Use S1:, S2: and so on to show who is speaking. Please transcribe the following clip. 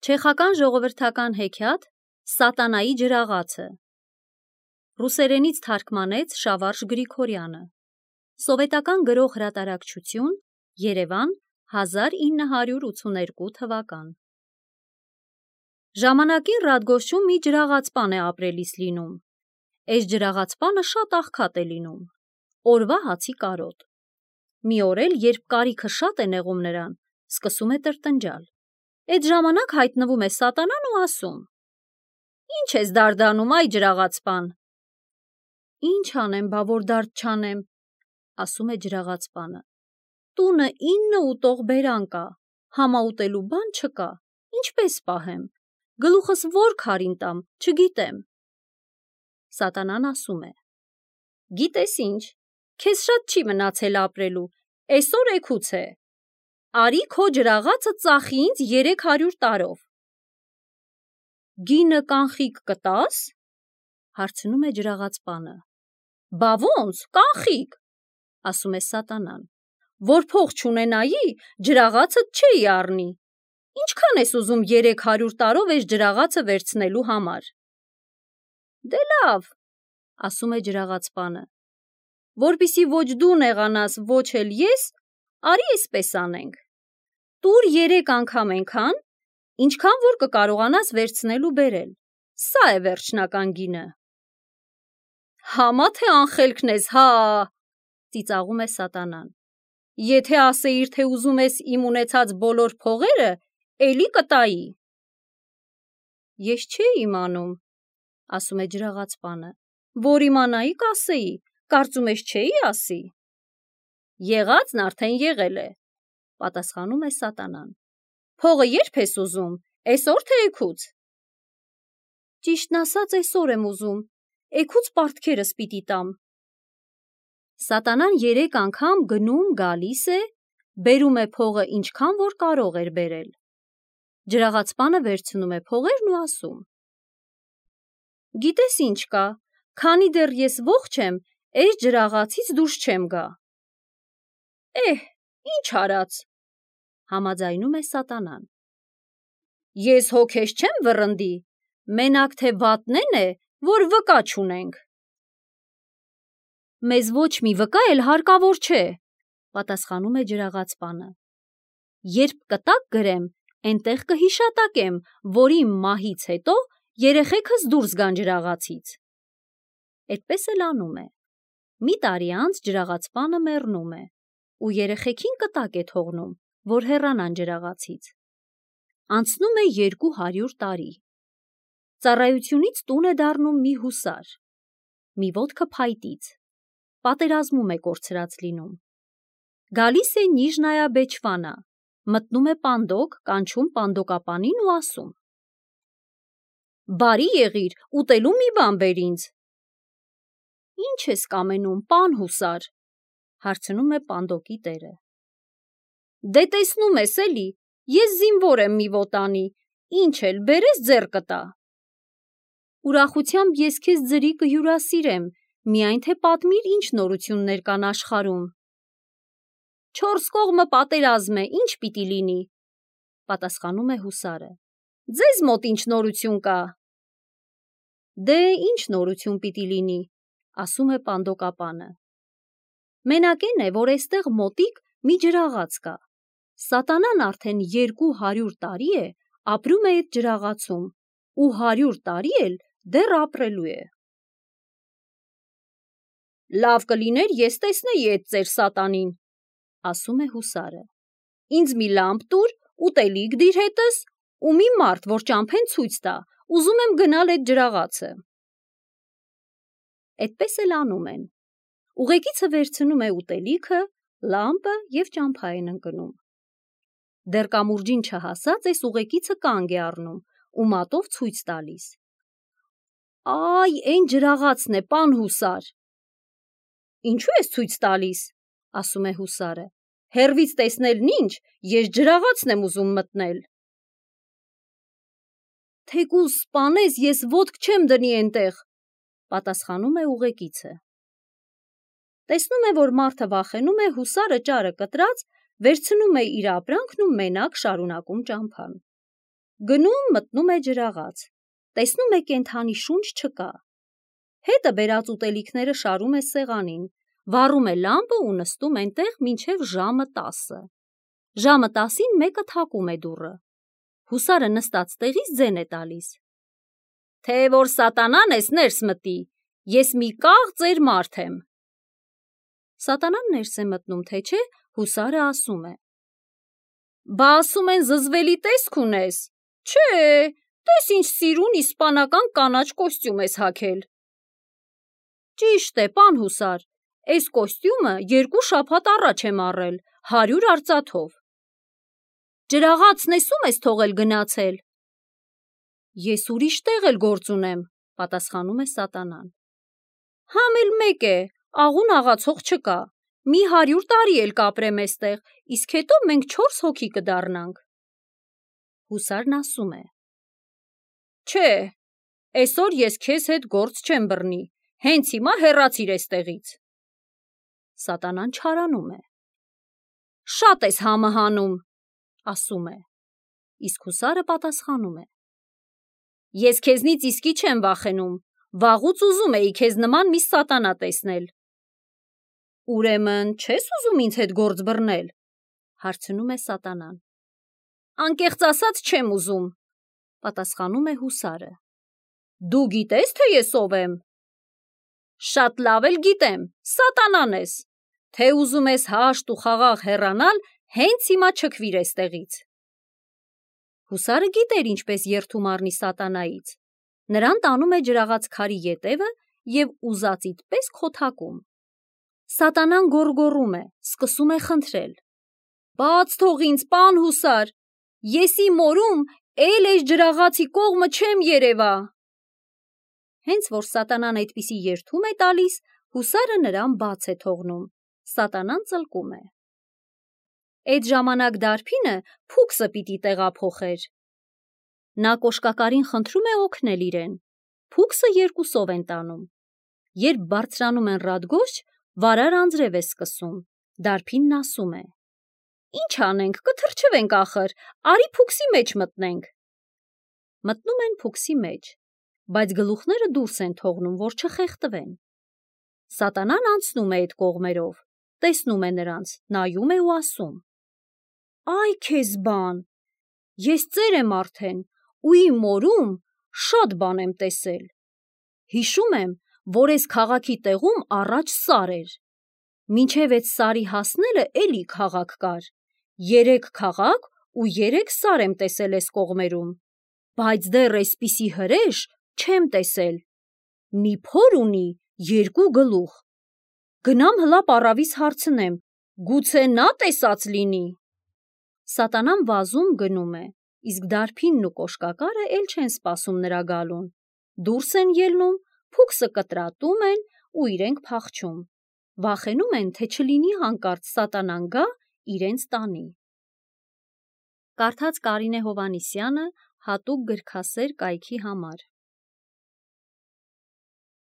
S1: Չեխական ժողովրդական հեքիաթ Սատանայի ջրաղացը ռուսերենից թարգմանեց Շավարժ Գրիգորյանը Սովետական գրող հրատարակչություն Երևան 1982 թվական Ժամանակին Ռադգոստում մի ջրաղացպան է ապրելիս լինում Այս ջրաղացպանը շատ աղքատ է լինում Օրվա հացի կարոտ Մի օր էլ երբ կարիքը շատ է նեղում նրան սկսում է տրտնջալ Այդ ժամանակ հայտնվում է սատանան ու ասում Ինչ ես դարդանում այ ջրաղացպան Ինչ անեմ բա որ դարդ չանեմ ասում է ջրաղացպանը Տունը 9 ուտող բերան կա համաուտելու բան չկա ինչպես պահեմ գլուխս որ քարին տամ չգիտեմ Սատանան ասում է Գիտես ինչ քեզ շատ չի մնացել ապրելու այսօր էգուց է Արի քո ջրաղացը ծախի ինձ 300 տարով Գինը կանխիկ կտաս հարցնում է ջրաղացպանը Բա ոնց կանխիկ ասում է սատանան Որ փող չունենայի ջրաղացդ չէի առնի Ինչքան ես ուզում 300 տարով այս ջրաղացը վերցնելու համար Դե լավ ասում է ջրաղացպանը Որպիսի ոչ դու նեղանաս ոչ էլ ես Արի այսպես անենք Տուր 3 անգամ այնքան Ինչքան որ կկարողանաս վերցնել ու բերել Սա է վերջնական գինը Համա թե անխելքն ես հա ծիծաղում է սատանան Եթե ասեիր թե ուզում ես իմ ունեցած բոլոր փողերը էլի կտայի Ես չէի իմանում ասում է ջրաղացպանը Որ իմանայի կասեի կարծում ես չէի ասի Եղածն արդեն եղել է պատասխանում է սատանան Փողը երբ ես ուզում այսօր թե էգուց Ճիշտն ասած այսօր եմ ուզում էգուց պարտքերս պիտի տամ Սատանան 3 անգամ գնում գալիս է բերում է փողը ինչքան որ կարող էր բերել Ջրաղացպանը վերցնում է փողերն ու ասում Գիտես ինչ կա քանի դեռ ես ողջ եմ այս ջրաղացից դուրս չեմ գա Ինչ արած համաձայնում է սատանան Ես հոգես չեմ վռնդի մենակ թե վատն է որ վկա չունենք Մեզ ոչ մի վկա էլ հարկավոր չէ պատասխանում է ջրաղացպանը Երբ կտակ գրեմ այնտեղ կհիշատակեմ որ իմ մահից հետո երեխեքս դուրս գան ջրաղացից Այդպես էլ անում է Մի տարի անց ջրաղացպանը մեռնում է ու երեխեքին կտակ է թողնում որ հեռանան ջրաղացից Անցնում է 200 տարի Ծառայությունից տուն է դառնում մի հուսար Մի ոտքը փայտից Պատերազմում է կորցրած լինում Գալիս է Նիժնայա Բեչվանա Մտնում է պանդոկ կանչում պանդոկապանին ու ասում Բարի եղիր ուտելու մի բան բեր ինձ Ինչ ես կամենում պան հուսար հարցնում է պանդոկի տերը Դե տեսնում ես էլի ես զինվոր եմ մի ոտանի ինչ էլ բերես ձեռ կտա Ուրախությամբ ես քեզ ձրի կհյուրասիրեմ միայն թե պատմիր ինչ նորություններ կան աշխարհում 4 կողմը պատերազմ է ինչ պիտի լինի պատասխանում է հուսարը Ձեզ մոտ ինչ նորություն կա Դե ինչ նորություն պիտի լինի ասում է պանդոկապանը Մենակ այն է որ այստեղ մոտիկ մի ջրաղաց կա Սատանան արդեն 200 տարի է ապրում է այդ ջրաղացում ու 100 տարի էլ դեռ ապրելու է Լավ կլիներ ես տեսնեի այդ ծեր սատանին ասում է հուսարը Ինձ մի լամպ տուր ուտելիք դիր հետս ու մի մարդ որ ճամփեն ցույց տա ուզում եմ գնալ այդ ջրաղացը Այդպես էլ անում են Ուղեկիցը վերցնում է ուտելիքը լամպը եւ ճամփա են ընկնում Դեռ կամուրջին չհասած այս ուղեկիցը կանգ է առնում ու մատով ցույց տալիս Այ այն ջրաղացն է պան հուսար Ինչու ես ցույց տալիս ասում է հուսարը Հեռվից տեսնելն ինչ ես ջրաղացն եմ ուզում մտնել Թեկուզ սպանես ես ոտք չեմ դնի այնտեղ պատասխանում է ուղեկիցը Տեսնում է որ մարդը վախենում է հուսարը ճարը կտրած վերցնում է իր ապրանքն ու մենակ շարունակում ճամփան Գնում մտնում է ջրաղաց, տեսնում է կենդանի շունչ չկա, հետը բերած ուտելիքները շարում է սեղանին, վառում է լամպը ու նստում այնտեղ մինչև ժամը 10։ Ժամը 10-ին մեկը թակում է դուռը, հուսարը նստած տեղից ձեն է տալիս. «Թե որ սատանան ես ներս մտի, ես մի կաղ ծեր մարդ եմ»։ Սատանան ներս է մտնում, թե չէ, հուսարը ասում է. «Բա ասում են զզվելի տեսք ունես, չէ, տես ինչ սիրուն իսպանական կանաչ կոստյում ես հագել»։ Ճիշտ է, պան հուսար, էս կոստյումը 2 շաբաթ առաջ եմ առել, 100 արծաթով։ Ջրաղացն էսում ես թողել գնացել։ Ես ուրիշ տեղ էլ գործ ունեմ, պատասխանում է սատանան։ Համ էլ մեկ է, աղուն աղացող չկա, մի 100 տարի էլ կապրեմ էստեղ, իսկ հետո մենք 4 հոգի կդառնանք։ Հուսարն ասում է. Չէ, այսօր ես քեզ հետ գործ չեմ բռնի, հենց հիմա հեռացիր էստեղից։ Սատանան չարանում է. Շատ ես համը հանում, ասում է, իսկ հուսարը պատասխանում է. Ես քեզնից իսկի չեմ վախենում, վաղուց ուզում էի քեզ նման մի սատանա տեսնել։ Ուրեմն չես ուզում ինձ հետ գործ բռնել, հարցնում է սատանան։ Անկեղծ ասած չեմ ուզում, պատասխանում է հուսարը։ Դու գիտես, թե ես ով եմ։ Շատ լավ էլ գիտեմ, սատանան ես, թե ուզում ես հաշտ ու խաղաղ հեռանալ, հենց հիմա չքվիր էստեղից։ Հուսարը գիտեր ինչպես երդում առնի սատանայից, նրան տանում է ջրաղաց քարի ետևը և ուզածիդ պես քոթակում։ Սատանան գոռգոռում է, սկսում է խնդրել. Բաց թող ինձ, պան հուսար, ես իմ օրում էլ էս ջրաղացի կողմը չեմ երևա։ Հենց որ սատանան այդպիսի երդում է տալիս, հուսարը նրան բաց է թողնում, սատանան ծլկում է։ Այդ ժամանակ դարբինը փուքսը պիտի տեղափոխեր։ Նա կոշկակարին խնդրում է օգնել իրեն, փուքսը 2-ով են տանում։ Երբ բարձրանում են Ռադգոշ, վարար անձրև է սկսում, դարբինն ասում է. Ինչ անենք, կթրջվենք ախր, արի փուքսի մեջ մտնենք։ Մտնում են փուքսի մեջ, բայց գլուխները դուրս են թողնում, որ չխեղդվեն։ Սատանան անցնում է այդ կողմերով, տեսնում է նրանց, նայում է ու ասում. Այ քեզ բան, ես ծեր եմ արդեն ու իմ օրում շատ բան եմ տեսել։ Հիշում եմ, որ այս քաղաքի տեղում առաջ սար էր։ Մինչև այդ սարի հասնելը էլի քաղաք կար։ 3 քաղաք ու 3 սար եմ տեսել այս կողմերում, բայց դեռ այսպիսի հրեշ չեմ տեսել։ Մի փոր ունի 2 գլուխ։ Գնամ հլա պառավից հարցնեմ, գուցե նա տեսած լինի։ Սատանան վազում գնում է, իսկ դարբինն ու կոշկակարը էլ չեն սպասում նրա գալուն։ Դուրս են ելնում, փուքսը կտրատում են ու իրենք փախչում։ Վախենում են, թե չլինի հանկարծ սատանան գա իրենց տանի։ Կարդաց Կարինե Հովհաննիսյանը հատուկ գրքասեր կայքի համար։